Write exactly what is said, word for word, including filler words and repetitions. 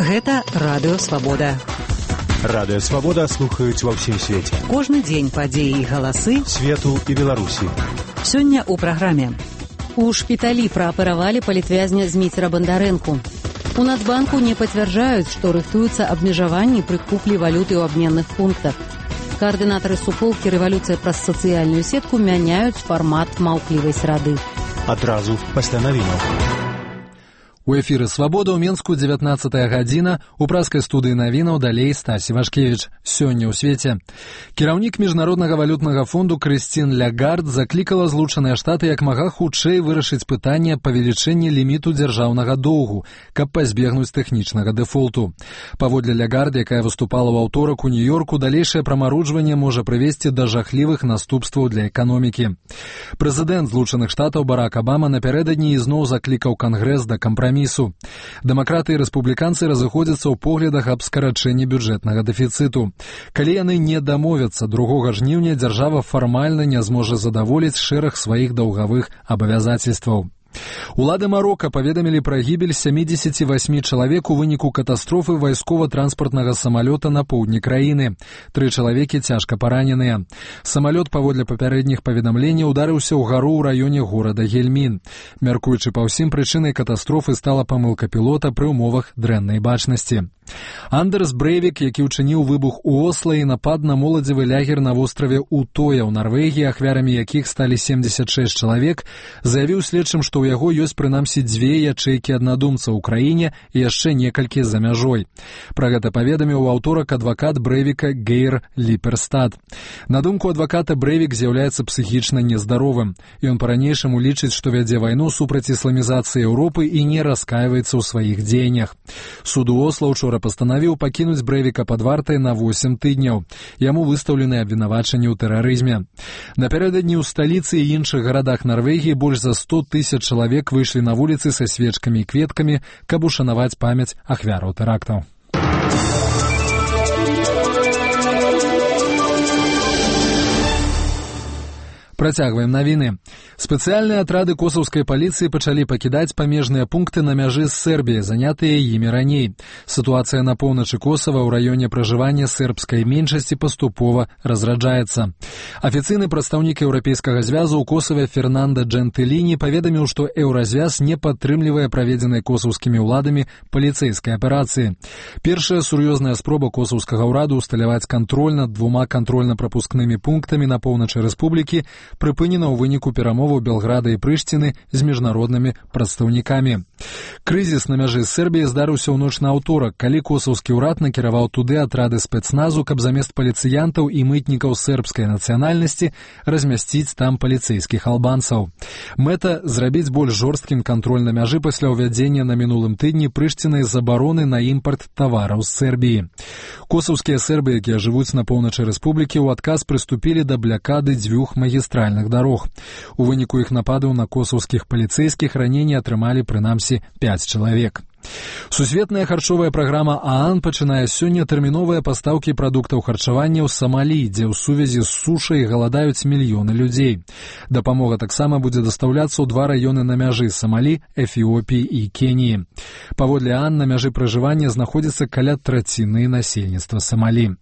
Гэта Радыё Свабода. Радыё Свабода слухаюць ва ўсім свеце. Кожны дзень падзеі і галасы свету і Беларусі. Сёння ў праграме. У шпіталі прааперавалі палітвязня Зміцера Бандарэнку. У Нацбанку не пацвярджаюць, што рыхтуюцца абмежаванні пры куплі валюты ў абменных пунктах. Каардынатары суполкі «Рэвалюцыя праз сацыяльную сетку» мяняюць фармат маўклівай срады. Адразу пасля навінаў. У эфіры «Свабода» ў Менску дзевятнаццатая гадзіна, у праскай студыі навінаў далей Стасі Вашкевіч. Сёння ў свеце. Кіраўнік Міжнароднага валютнага фонду Крысцін Лягард заклікала Злучаныя Штаты як мага хутчэй вырашыць пытанне павелічэння ліміту дзяржаўнага доўгу, каб пазбегнуць тэхнічнага дэфолту. Паводле Лягард, якая выступала ў аўторак у Нью-Йорку, далейшае прамарожванне можа прывесці да жахлівых наступстваў для эканомікі. Прэзідэнт Злучаных Штатаў Барак Абама напярэдадні ізноў заклікаў Кангрэс да кампрамісу. Дэмакраты і рэспубліканцы разыходзяцца ў поглядах аб скарачэнні бюджэтнага дэфіцыту. Калі яны не дамовяцца, другога жніўня дзяржава фармальна не зможа задаволіць шэраг сваіх даўгавых абавязацельстваў. Улады Марока паведамілі пра гібель сямідзесяці васьмі чалавек у выніку катастрофы вайскова-транспартнага самалёта на поўдні краіны. Тры чалавекі цяжка параненыя. Самалёт, паводле папярэдніх паведамленняў, ударыўся ў гару ў раёне горада Гельмін. Мяркуючы па ўсім, прычынай катастрофы стала памылка пілота пры ўмовах дрэннай бачнасці. Андерс Брэйвік, які ўчыніў выбух у Осла і напад на моладзевы лягер на востраве Утоя ў Нарвегіі, ахвярамі якіх сталі семдзесят шэсць чалавек, заявіў следчым, што ў яго ёсць прынамсі дзве ячэйкі аднадумца ў краіне і яшчэ некалькі за мяжой. Пра гэта паведаміў у аўторак адвакат Брэйвіка Гейр Ліперстад. На думку адваката, Брэйвік з'яўляецца псіхічна нездаровым. Ён па-ранейшаму лічыць, што вядзе вайну супраць ісламізацыі Еўропы і не раскайваецца ў сваіх дзеяннях. Суд у Осла учора пастанавіў пакінуць Брэйвіка пад вартай на восем тыдняў. Яму выстаўлены абвінавачанні ў тэрарызме. Напярэдадні ў сталіцы і іншых гарадах Нарвегіі больш за сто тысяч чалавек выйшлі на вуліцы са свечкамі і кветкамі, каб ушанаваць памяць ахвяраў тэрактаў. Працягваем навіны. Спецыяльныя атрады косаўскай паліцыі пачалі пакідаць памежныя пункты на мяжы з Сербіяй, занятыя імі раней. Сітуацыя на поўначы Косава ў раёне пражывання сербскай меншасці паступова разраджаецца. Афіцыйны прадстаўнік Еўрапейскага звязу ў Косаве Фернанда Джентыліні паведаміў, што Еўразвяз не падтрымлівае праведзенай косаўскімі ўладамі паліцэйскай аперацыі. Першая сур'ёзная спроба косаўскага ўраду ўсталяваць кантроль над двума кантрольна-прапускнымі пунктамі на поўначы рэспублікі прыпынена ў выніку перамоваў Белграда і Прыштіны з міжнароднымі прадстаўнікамі. Крызіс на мяжы з Сербіяй здарыўся ў ноч на аўторак, калі косаўскі ўрад накіраваў туды атрады спецназу, каб замест паліцыянтаў і мытнікаў сербскай нацыянальнасці размясціць там паліцэйскіх албанцаў. Мэта — зрабіць больш жорсткім кантроль на мяжы пасля ўвядзення на мінулым тыдні Прыштінай забароны на імпарт тавараў з Сербіі. Косаўскія сербы, якія жывуць на поўначы рэспублікі, у адказ прыступілі да блякады дзвюх магістральных дарог. У выніку іх нападаў на косаўскіх паліцэйскіх раненні атрымалі прынамсі пяць чалавек. Сусветная харчовая праграма ААН пачынае сёння тэрміновыя пастаўкі прадуктаў харчавання ў Самалі, дзе ў сувязі з сушай галадаюць мільёны людзей. Дапамога таксама будзе дастаўляцца ў два раёны на мяжы Самалі, Эфіопіі і Кеніі. Паводле ААН на мяжы пражывання знаходзіцца каля траціны насельніцтва Самалі.